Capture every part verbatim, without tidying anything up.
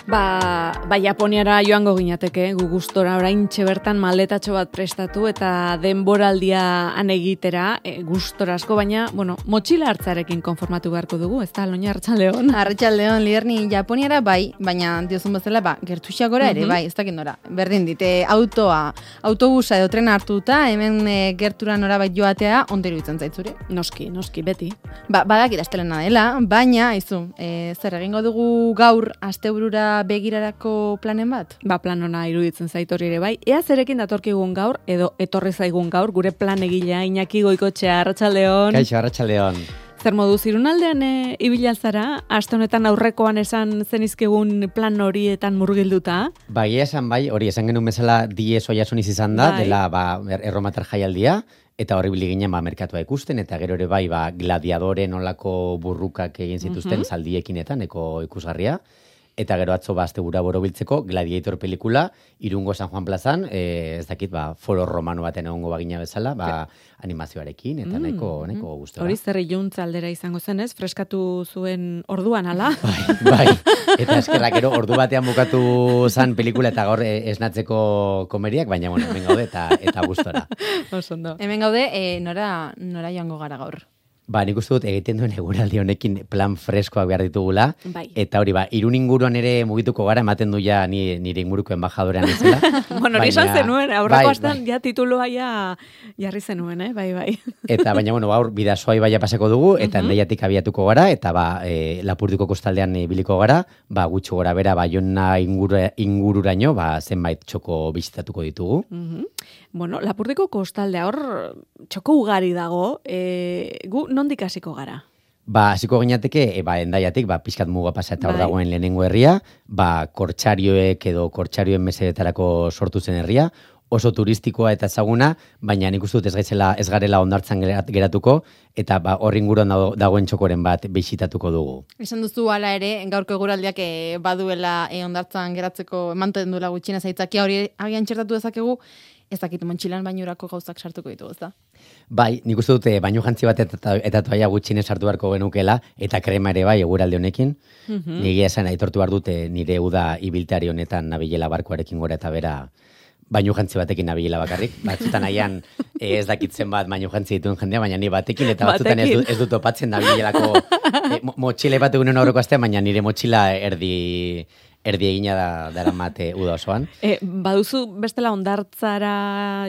Ba, ba Japoniara joango ginateke, gu gustora oraintxe bertan maletatxo bat prestatu eta denboraldia han egitera, e, gustora asko, baina, bueno, motxila hartzarekin konformatu beharko dugu, ez da, Loña, Arratsaldeon? Arratsaldeon, Liderni, Japoniara bai, baina diozun bezala, ba, gertuxagora ere, bai, ez dakit nora. Berdin dite, autoa, autobusa edo trena hartuta, hemen e, gertura norabait joatea, ondero itzen zaitzure. Noski, noski, beti. Ba, badakit astelena dela, baina, izu, e, zer egingo dugu gaur asteburura begirarako planen bat? Ba, plan ona iruditzen zait hori ere bai. Ea zerekin datorkigun gaur, edo etorri zaigun gaur, gure plan egilea, Iñaki Goikoetxea, Arratsaldeon. Kaixo, Arratsaldeon. Zer modu, zirunaldean e, ibilalzara, aste honetan aurrekoan esan zenizkigun plan horietan murgilduta? Ba, egia esan bai, hori esan genuen bezala diez oiasuniz izan da, bai. Dela ba, erromatar jaialdia, eta horri bili ginen ba, merkatua ikusten, eta gero ere bai ba, gladiadore nolako burrukak egin zituzten uh-huh. zaldiekinetan, eko ikusgarria. Eta gero atzo ba, astebura borobiltzeko Gladiator pelikula, Irungo San Juan plazan, e, ez dakit, ba, foro romano baten egongo bagina bezala, ba, animazioarekin, eta mm, nahiko, nahiko gustora. Hori zer iluntz aldera izango zen, ez? Freskatu zuen orduan, ala? Bai, bai. Eta eskerrak gero ordu batean bukatu zan pelikula eta gaur esnatzeko komeriak, baina, bueno, hemen gaude eta, eta gustora. Osondo. Hemen gaude, e, nora, nora joango gara gaur? Ba, nik uste dut egiten duen eguraldi honekin plan freskoak behar ditugula. Bai. Eta hori, ba, Irun inguruan ere mugituko gara, ematen du ja ni, nire inguruko embajadorean izela. Bueno, hori esan zenuen, aurreko bai, astan bai. Ja tituloa ja jarri zenuen, eh? Bai, bai. Eta, baina, bueno, gaur bidasoa ibaia pasako dugu, eta uh-huh. endaiatik abiatuko gara, eta ba, e, Lapurdiko kostaldean biliko gara, ba, gutxo gora bera, ba, jonna inguru, ingururaino, ba, zenbait txoko bisitatuko ditugu. Uh-huh. Bueno, Lapurdiko kostaldea hor txoko ugari dago, e, gu nondik hasiko gara? Ba, hasiko ginateke, e, ba, endaiatik, ba, pixkat muga pasa eta hor bai. Dagoen lehenengo herria, ba, kortxarioek edo kortxarioen mesedetarako sortu zen herria, oso turistikoa eta ezaguna, baina nik uste dut ez gaizela, ez garela hondartzan geratuko, eta ba, hor inguruan dagoen txokoren bat bisitatuko dugu. Esan duzu hala ere, gaurko eguraldiak e, baduela e, hondartzan geratzeko emanten duela gutxienez aitzakia hori agian txertatu dezakegu, ez dakit montxilan bainurako gauzak sartuko ditugu, ez da? Bai, nik uste dute bainu jantzi bat eta, eta toaia gutxinez sartu beharko genukela, eta krema ere bai eguraldi honekin. Mm-hmm. Nigia esan aitortu behar dute nire uda ibiltari honetan nabilela barkoarekin gora eta bera bainu jantzi batekin nabilela bakarrik. Batzutan aian ez dakitzen bat bainu jantzi dituen jendea, baina ni batekin, eta batzutan ez du, ez du topatzen nabilelako e, motxile bat egunen aurreko astean, baina nire motxila erdi... erdi egina da dara mate uda osoan. E, baduzu bestela hondartzara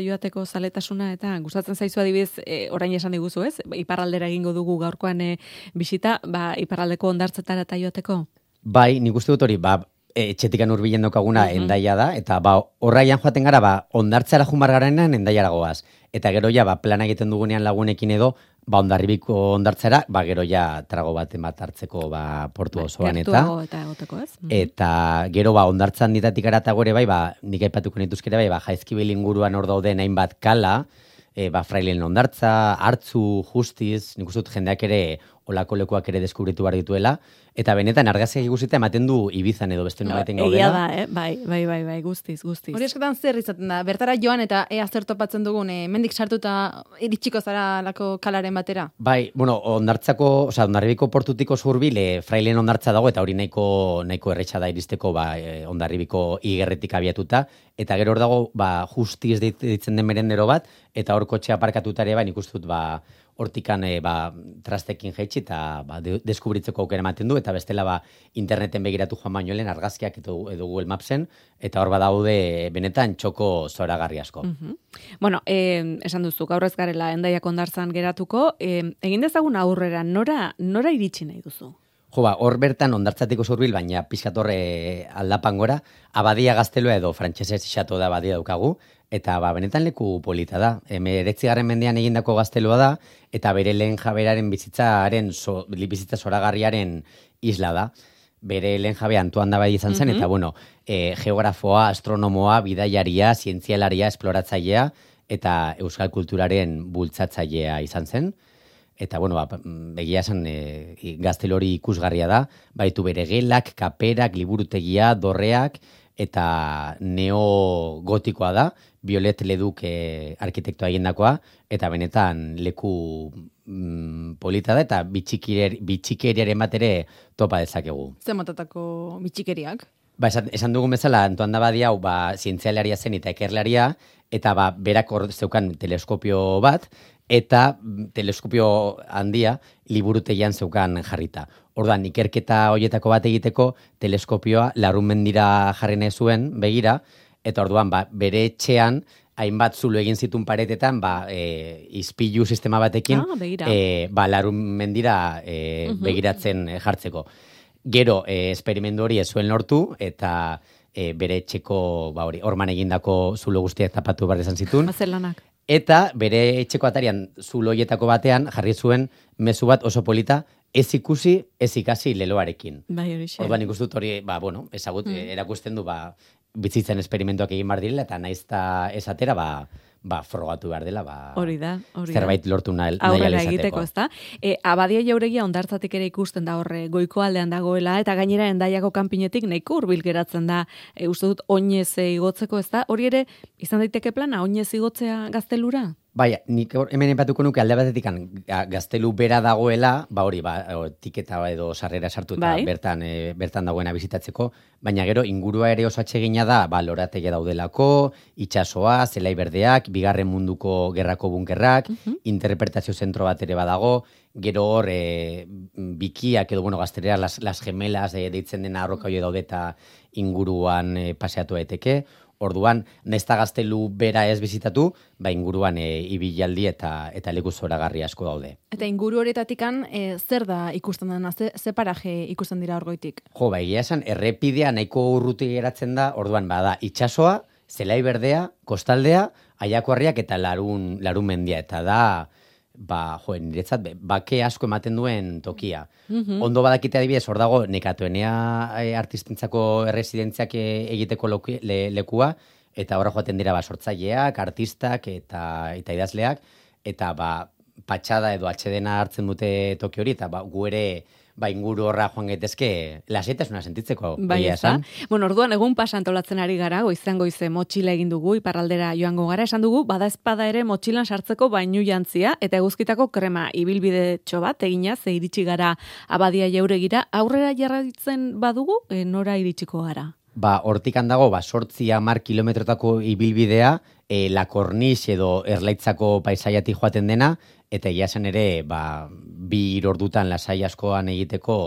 joateko zaletasuna eta gustatzen zaizu adibidez, e, orain esan diguzu ez? Iparraldera egingo dugu gaurkoan e, bisita, ba, iparraldeko hondartzetara eta joateko? Bai, nik uste dut hori, ba, etxetikan hurbilen dokaguna uh-huh. endaia da, eta ba, horraian joaten gara, ba, hondartzara jumar garenean endaiara goaz. Eta gero ja, ba, plana egiten dugunean lagunekin edo, ba, Hondarribiko hondartzara, ba, gero ja trago bat bat hartzeko ba, portu ba, osoan eta. eta egoteko, ez? Mm-hmm. Eta gero ba, hondartzan ditatik aratago ere bai, ba, nik aipatuko nituzkere bai, ba, Jaizkibel inguruan hor dauden hainbat kala, e, ba, Frailen hondartza, Hartzu, Justiz, nik uste dut jendeak ere olako lekuak ere deskubritu behar dituela, eta benetan argazkiak ikusita ematen du Ibizan edo beste nobaiten gaudela. Egia da, eh? Bai, bai, bai, bai, guztiz, guztiz. Hori eskotan zer izaten da, bertara joan eta ea zer topatzen dugun, e, mendik sartuta iritsiko zara lako kalaren batera? Bai, bueno, hondartzako, oza, Hondarribiko portutiko zurbil, e, Frailen hondartza dago, eta hori nahiko, nahiko erretxa da iristeko, ba, e, Hondarribiko igerretik abiatuta, eta gero hor dago, ba, Justiz ditzen den merendero bat, eta hor kotxea parkatutare, ba, nik uste dut, ba, hortikan e, ba, trastekin jaitsi eta ba, de, deskubritzeko aukera ematen du, eta bestela ba, interneten begiratu joan baino lehen argazkiak edo, edo Google Mapsen, eta hor badaude benetan txoko zoragarri asko. Mm-hmm. Bueno, eh, esan duzu, gaur ez garela endaiak hondartzan geratuko, eh, egin dezagun aurrera, nora, nora iritsi nahi duzu? Jo, ba, hor bertan hondartzatiko zurbil, baina pixkatorre aldapan gora, abadia gaztelua edo frantsesez xato da abadia daukagu, eta ba, benetan leku polita da. Hemeretzigarren mendean egindako gaztelua da, eta bere lehen jaberaren bizitzaren, so, bizitza zoragarriaren isla da. Bere lehen jabe Antoan da bai izan zen, mm-hmm. eta bueno, e, geografoa, astronomoa, bidaiaria, zientzialaria, esploratzailea, eta euskal kulturaren bultzatzailea izan zen. Eta, bueno, ba, begia esan e, gaztelo hori ikusgarria da, baitu bere gelak, kaperak, liburutegia, dorreak, eta neogotikoa da, Violet Leduk e, arkitektoa egindakoa, eta benetan leku mm, polita da, eta bitxikeriaren bat ere topa dezakegu. Zer motatako bitxikeriak? Ba, esan, esan dugun bezala, Antoan da Badia hau, ba, zientzialaria zen eta ekerlaria, eta ba, berak hor zeukan teleskopio bat, eta teleskopio handia liburutegian zeukan jarrita. Orduan, ikerketa hoietako bat egiteko, teleskopioa larun mendira jarri nahi zuen, begira, eta orduan, ba, bere etxean, hainbat zulo egin zituen paretetan, ba, e, izpilu sistema batekin, ah, e, ba, larun mendira e, uh-huh. begiratzen jartzeko. Gero, e, esperimendu hori ez zuen lortu, eta e, bere etxeko, ba, hori, orman egindako zulo guztiak tapatu behar izan zituen. Mazelanak. Eta bere etxeko atarian zulo hoietako batean jarri zuen mezu bat oso polita, ez ikusi, ez ikasi leloarekin. Bai, hori xe. Orduan ikustut hori, ba, bueno, ezagut, mm. erakusten du, ba, bizitzen esperimentuak egin behar direla, eta naizta esatera, ba, ba, frogatu behar dela, ba, hori da, hori zerbait lortu nahi izateko. Aurrera egiteko, ezta? E, Abadia Jauregia hondartzatik ere ikusten da horre goiko aldean dagoela, eta gainera Hendaiako kanpinetik nahiko hurbil geratzen da, e, uste dut oinez igotzeko, ezta? Hori ere, izan daiteke plana, oinez igotzea Gaztelura? Baina, nik hemen epatuko nuke alde batetik Gaztelu bera dagoela, ba hori, ba, tiketa edo sarrera sartu eta bai. bertan, e, bertan dagoena bizitatzeko, baina gero ingurua ere oso atsegina da, ba, lorategi daudelako, itsasoa, zelai berdeak, bigarren munduko gerrako bunkerrak, uh-huh. interpretazio zentro bat ere badago, gero hor e, bikiak edo, bueno, gaztelera las, las gemelas e, deitzen dena arroka hori daude eta inguruan e, paseatu daiteke. Orduan, nesta Gaztelu bera ez bizitatu, ba inguruan e, ibilaldi eta eta leku zoragarri asko daude. Eta inguru horietatikan e, zer da ikusten dena, ze, ze paraje ikusten dira orgoitik? Jo, ba, egia esan, errepidea nahiko urruti geratzen da, orduan, bada, itsasoa, zelai berdea, kostaldea, aiakoarriak eta larun, larun mendia, eta da, ba, jo, niretzat, bake asko ematen duen tokia. Mm-hmm. Ondo badakite adibidez, hor dago, nekatuenea e, artistentzako erresidentziak e, egiteko loki, le, lekua, eta horra joaten dira ba, sortzaileak, artistak eta, eta idazleak, eta ba, patxada edo atxedena hartzen dute toki hori, eta ba, gu ere ba, inguru horra joan gaitezke lasaitasuna sentitzeko. Bai, esan. Bueno, orduan egun pasa antolatzen ari gara, goizan goize motxila egin dugu, iparraldera joango gara, esan dugu, bada espada ere motxilan sartzeko bainu jantzia, eta eguzkitako krema ibilbide txobat, egina, ze iritsi gara Abadia Jauregira, aurrera jarraitzen badugu, e, nora iritsiko gara? Ba, hortik handago, ba, sortzi hamar kilometrotako ibilbidea, e, La Corniche edo Erlaitzako paisaiatik joaten dena, eta egia zen ere, ba, bi ordutan lasai askoan egiteko,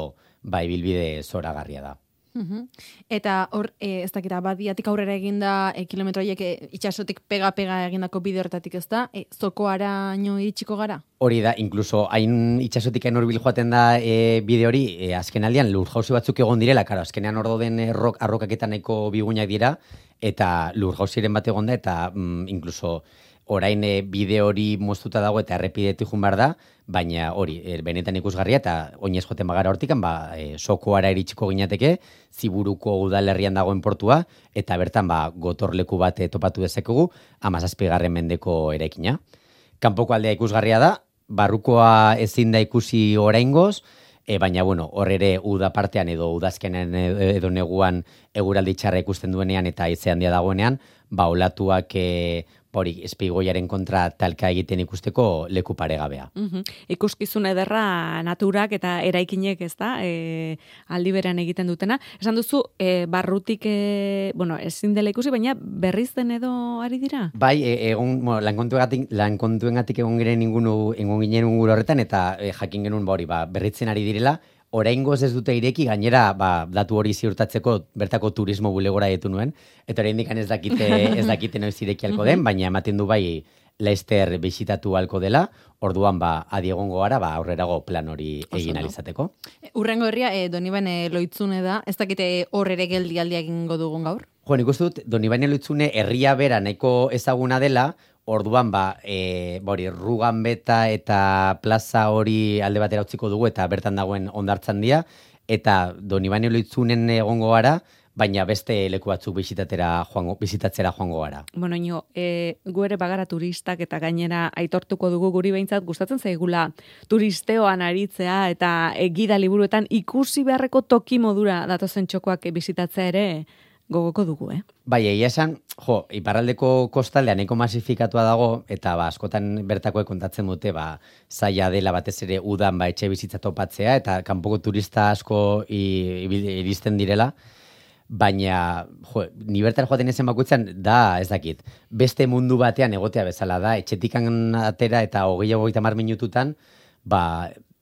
ba, ibilbide zoragarria da. Uhum. Eta hor, e, ez dakita, Abadiatik aurrera eginda e, kilometroiek e, itxasotik pega-pega egindako bide horretatik ez da, e, zokoaraino iritsiko gara? Hori da, inkluso hain itxasotik hain hurbil joaten da e, bide hori, e, azken aldean lur jauzi batzuk egon direla, karo, azkenean hor dauden errok, arrokaketan nahiko bigunak dira, eta lur jauziren bat egon da, eta mm, inkluso orain e, bide hori moztuta dago eta errepidetik jun behar da, baina hori, e, benetan ikusgarria eta oinez joten bagara hortikan, ba, e, sokoara iritsiko ginateke, Ziburuko udalerrian dagoen portua, eta bertan ba, gotorleku bat topatu dezakegu, hamazazpigarren mendeko eraikina. Kanpoko aldea ikusgarria da, barrukoa ezin da ikusi oraingoz, e, baina bueno, hor ere uda partean edo udazkenen edo neguan eguraldi txarra ikusten duenean eta haize handia dagoenean, ba olatuak e, hori espigoiaren kontra talka egiten ikusteko leku paregabea. Uhum. Ikuskizun ederra naturak eta eraikinek, ez da, e, aldi berean egiten dutena. Esan duzu, e, barrutik, e, bueno, ezin dela ikusi, baina berriz den edo ari dira? Bai, e, egon, bueno, lankontuengatik lankontuengatik egon ginen ingunu, egon ginen inguru horretan, eta e, jakin genuen ba hori, ba, berritzen ari direla, oraingoz ez dute ireki, gainera ba, datu hori ziurtatzeko bertako turismo bulegora ditu nuen, eta oraindik ez dakite ez dakite noiz ireki alko den, baina ematen du bai Leicester bisitatu alko dela, orduan ba adi egongo gara ba aurrerago plan hori egin alizateko. Urrengo herria e, Donibane Loitzune da, ez dakite hor ere geldialdia egingo dugun gaur? Jo, nik uste dut Donibane Loitzune herria bera nahiko ezaguna dela, orduan ba, e, bori, Ruganbeta eta plaza hori alde batera utziko dugu eta bertan dagoen hondartzan dira, eta Donibane Loitzunen egongo gara, baina beste leku batzuk bisitatera joango, bisitatzera joango gara. Bueno, ino, e, gu ere bagara turistak eta gainera aitortuko dugu guri behintzat gustatzen zaigula turisteoan aritzea eta e, gida liburuetan ikusi beharreko toki modura datozen txokoak bisitatzea ere gogoko dugu, eh? Bai, egia esan, jo, iparraldeko kostaldean nahiko masifikatua dago, eta ba, askotan bertakoek kontatzen dute, ba, zaila dela batez ere udan ba, etxe bizitza topatzea, eta kanpoko turista asko iristen direla, baina, jo, ni bertara joaten ezen bakoitzan, da, ez dakit, beste mundu batean egotea bezala da, etxetikan atera eta hogei hogeita hamar minututan, ba,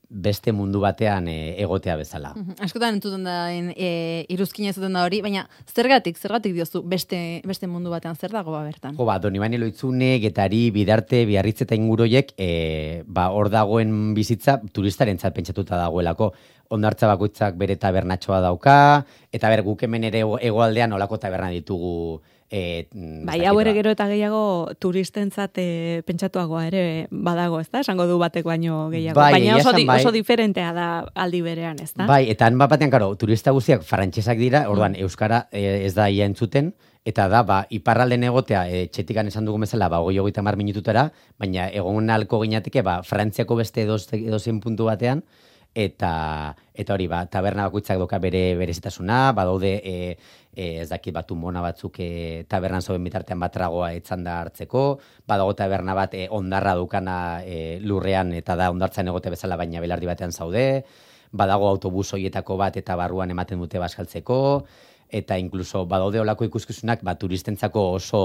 beste mundu batean e, egotea bezala. Askotan entzuten da, e, iruzkina zuten da hori, baina zergatik, zergatik diozu beste, beste mundu batean zer dago ba bertan? Jo, ba, Donibane Loitzune, Getari, Bidarte, Biarritz eta inguroiek, e, ba, hor dagoen bizitza turistarentzat pentsatuta dagoelako. Hondartza bakoitzak bere tabernatxoa dauka, eta ber, guk hemen ere hegoaldean olako taberna ditugu. E, bai, hau ere gero eta gehiago turistentzat e, pentsatuagoa ere badago, ez da? Esango du batek baino gehiago. Bai, baina oso, di, bai. oso diferentea da aldi berean, ez da? Bai, eta han bat batean, karo, turista guztiak frantsesak dira, orduan, mm. euskara e, ez da ia entzuten, eta da, ba, iparralden egotea, e, txetikan esan dugun bezala, ba, hogei hogeita hamar minututara, baina egon alko ginateke, ba, Frantziako beste edozein puntu batean, eta eta hori, ba, taberna bakoitzak doka bere berezitasuna, badaude e, e, ez dakit batu mona batzuk e, tabernan zoben bitartean bat tragoa etzanda hartzeko, badago taberna bat e, ondarra dukana e, lurrean eta da ondartzan egote bezala baina belardi batean zaude, badago autobus hoietako bat eta barruan ematen dute baskaltzeko, eta inkluso badaude olako ikuskizunak ba, turistentzako oso,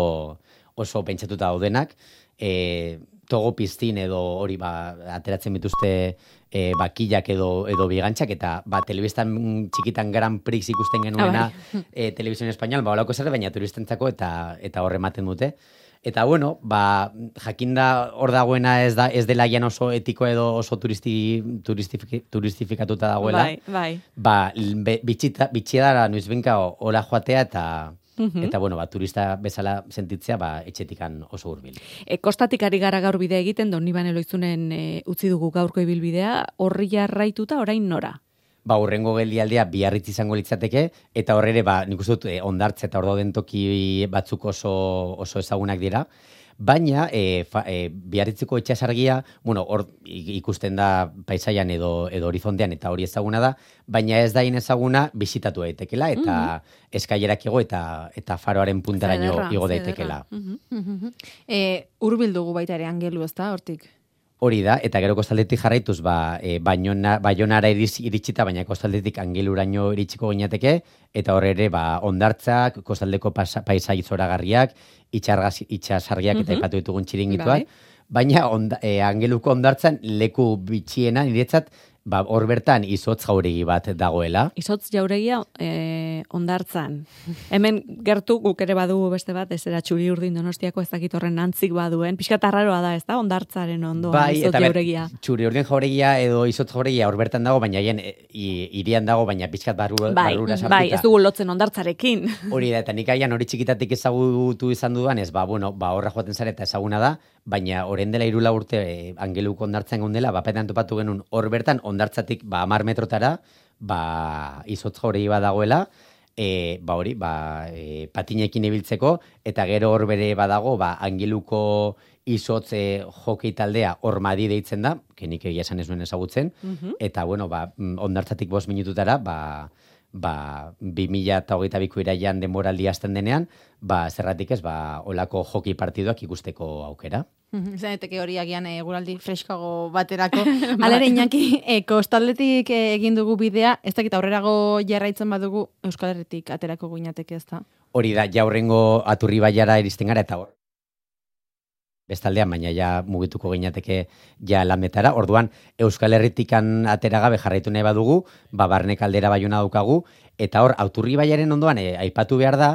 oso pentsatuta daudenak, e, togo piztin edo hori ba, ateratzen bituzte e, bakillak edo, edo bigantzak, eta ba, telebistan txikitan Grand Prix ikusten genuena e, Televisión Español, ba, olako zer, baina turistentzako eta eta hor ematen dute. Eta bueno, ba, jakinda hor dagoena ez da ez dela gian oso etiko edo oso turisti, turistifik, turistifikatuta dagoela. Bai, bai. Ba, bitxita, bitxia dara noizbenka hola joatea eta eta bueno, ba, turista bezala sentitzea ba, etxetikan oso hurbil. E, kostatik ari gara gaur bidea egiten, Donibane Loizunen e, utzi dugu gaurko ibilbidea, horri jarraituta orain nora? Ba, urrengo geldialdea Biarritz izango litzateke, eta horre ba, nik uste dut, eh, hondartza eta ordauden toki batzuk oso, oso ezagunak dira, baina e, fa, e, Biarritzeko itxasargia, bueno, hor ikusten da paisaian edo, edo horizontean eta hori ezaguna da, baina ez da ezaguna bisitatu daitekela, eta mm-hmm. eskailerak igo eta, eta faroaren puntaraino igo daitekela. Mm-hmm. E, Hurbil dugu baita ere Angelu, ez da, hortik? Hori da, eta gero kostaldetik jarraituz, ba, e, bainona, baionara iritsita, baina kostaldetik Angeluraino iritsiko ginateke, eta horre ere, ba, hondartzak, kostaldeko paisai zoragarriak, itxasargiak eta ipatu ditugun txiringituak, baina onda, e, Angeluko hondartzan leku bitxiena niretzat, ba, hor bertan izotz jauregi bat dagoela. Izotz jauregia e, hondartzan. Hemen gertu guk ere badugu beste bat, ez era Txuri Urdin Donostiako ez dakit horren antzik baduen. Pixkat arraroa da, ez da, hondartzaren ondoan bai, izotz jauregia. Txuri Urdin jauregia edo izotz jauregia hor bertan dago, baina hien irian dago, baina pixkat barru, bai, barrura sartuta. Bai, ez dugu lotzen hondartzarekin. Hori da, eta nik aian hori txikitatik ezagutu izan dudan, ez, ba, bueno, ba, horra joaten zara eta ezaguna da, baina orain dela hirula urte e, Angeluko hondartzan gondela, bapetan topatu genuen hor bertan hondartzatik ba hamar metrotara, ba izotz jauregi bat dagoela, e, ba hori, ba e, patinekin ibiltzeko eta gero hor bere badago, ba Angeluko izotz e, hokei taldea Ormadi deitzen da, kenik egia esan ez nuen ezagutzen, mm-hmm. eta bueno, ba hondartzatik bost minututara, ba ba, bi mila hogeita biko iraian denboraldi hasten denean, ba, zerratik ez, ba, olako hoki partiduak ikusteko aukera. Zaneteke hori agian eguraldi freskago baterako. Alere Iñaki, e, kostaldetik e, egin dugu bidea, ez dakit aurrerago jarraitzen badugu Euskal Herritik aterako guinateke ez da? Hori da, jaurrengo Aturri baiara iristen gara, eta hor. Bestaldean, baina ja mugituko ginateke ja landetara. Orduan, Euskal Herritikan atera gabe jarraitu nahi badugu, ba, barne kaldera baiona daukagu, eta hor, Aturri baiaren ondoan, e, aipatu behar da,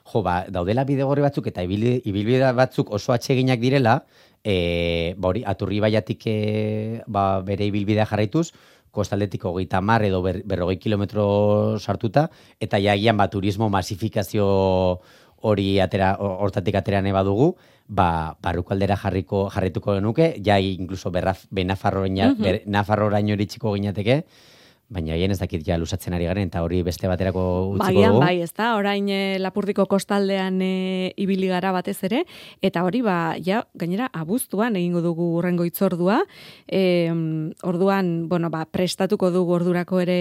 jo, ba, daudela bidegorri batzuk eta ibilbide batzuk oso atseginak direla, e, ba, hori, Aturri baiatik e, ba, bere ibilbidea jarraituz, kostaldetik hogeita hamar edo ber, berrogei kilometro sartuta, eta jagian ba, turismo masifikazio hori atera, hortatik atera nahi badugu, ba, barruko aldera jarriko, jarrituko genuke, ja inkluso benafarroraino mm-hmm. iritsiko ginateke, baina hien ez dakit ja lusatzen ari garen, eta hori beste baterako utziko Bagian, dugu. bai, ez da, orain e, Lapurdiko kostaldean e, ibili gara batez ere, eta hori, ba, ja, gainera, abuztuan egingo dugu urrengo itzordua, e, orduan, bueno, ba, prestatuko dugu ordurako ere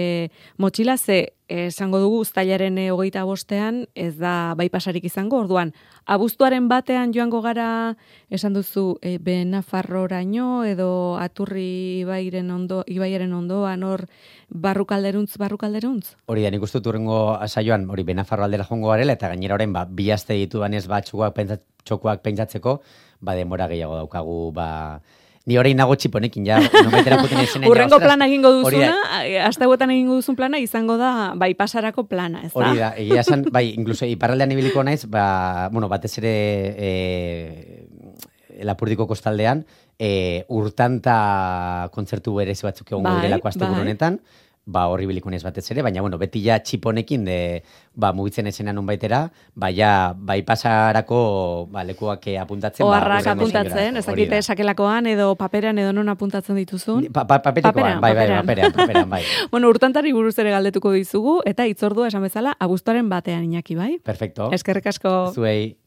motxila, ze esango dugu uztailaren e, hogeita bostean, ez da baipasarik izango, orduan, abuztuaren batean joango gara, esan duzu, e, Benafarroraino, edo Aturri ibairen ondo, ibaiaren ondoan, hor, barrukalderuntz, barrukalderuntz? Hori da, nik uste dut urrengo saioan, hori Benafarro aldera jongo garela, eta gainera orain, ba, bi aste ditu banez, ba, txokoak, pentsat, txokoak pentsatzeko, ba, denbora gehiago daukagu, ba, ni orain nago txiponekin, ja, nometera puten izenen. Urrengo plana egingo duzuna, hasta huetan egingo duzun plana, izango da, bai, pasarako plana, ez da? Hori da, egia esan, bai, inkluso iparraldean ibiliko naiz, ba, bueno, batez ere, e, Lapurdiko kostaldean, e, urtanta kontzertu berezi batzuk egon bai, direlako azte bai. Honetan, ba, horri biliko naiz batez ere, baina, bueno, beti ja txiponekin, de, ba, mugitzen esenan un baitera, ba, ja, bai pasarako, ba, lekuak apuntatzen. Oharrak ba, apuntatzen, ez dakite sakelakoan, edo paperean, edo non apuntatzen dituzun? Pa, pa, paperekoan, bai, bai, paperean, paperean, bai. Bueno, urtantari buruz ere galdetuko dizugu, eta itzordua esan bezala, abuztuaren batean, Iñaki, bai? Perfecto. Eskerrik asko. Zuei.